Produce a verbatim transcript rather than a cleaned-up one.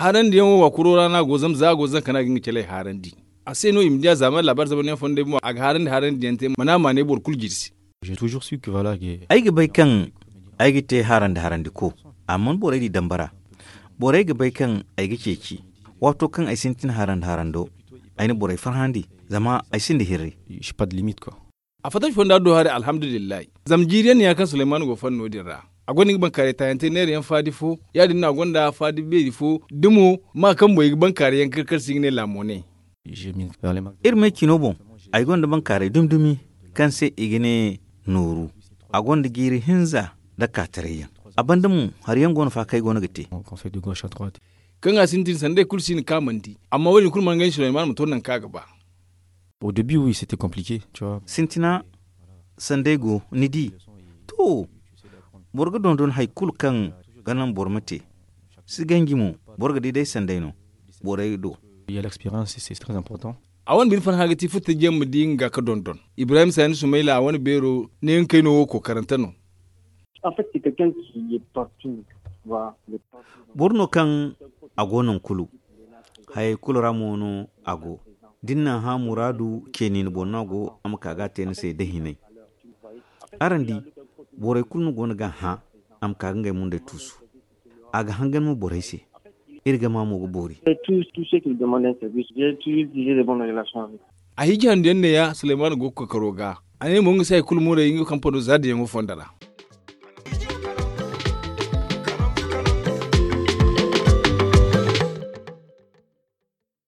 Haarandi yaŋ wo wa kuro ra no a go zama za a go zankana ga nga caley haarandi. A se no i ma di a zaama laabaari zamanyaŋ fondo day mo a ga haarandi haarandi yaŋ te mana a ma ne boro kulu jirsi. Ay ga bay kaŋ ay ga te haarandi haarandi ko, amma borey di dambara. Borey ga bay kaŋ ay ga ceeci. Waato kaŋ ay sintin haarandi haarando, ay na borey farhandi, zama ay sinda hirri. A fattaci fonda do hari alhamdulillahi. Zama jiiri yaŋ no ya kaŋ sulayman go fanno din ra. A gonda nga bankaaray taayante neera yaŋ faadi fo. Ya- din no a gonda faadi beeri fo. Da mo ma kaŋ boŋ i ga bankaaray yaŋ kar kar se i ga ne laamo ne. Iri me cino boŋ, ay gonda bankaaray dumi dumi kaŋ se i ga ne nooru. A gonda jiiri hinza nda kaataray yaŋ. A banda mo hari yaŋ go no fa kaŋ ay go no ga te. Kaŋ a sintin sanday kulu si hin kaŋ a mana di. Amma wo- din kulu mana ganji sulayman ma to nangu kaŋ a ga ba. Sintina sanday go ni di. To, boro ga dondon hari kulu kaŋ ga naŋ boro ma te. Si ganji mo, boro ga di day sanday no borey do. A wane bine farhã ga ti futtajiyaŋ ma di nga ga dondon. Ibrahim saani sumayla a wane beero ne nga kayno wo kookarante no. Boro no kaŋ a go nangu kulu. Hayey kulu ra mo no a go. Da ni na hã muraadu ce ni ni boŋ no a go a ma ka ga a te ni se da hinay. Araŋ di, borey kulu no go no ga a hã. A ma ka ga ngey mundey tuusu. A ga hangan mo borey se. Iri gama mo ga boori. A hiiji handu yaŋ ne- ya sulayman go ga kookaro ga. A ne mo nga se hari kulu muray nga kampano za din yaŋo fondo ra.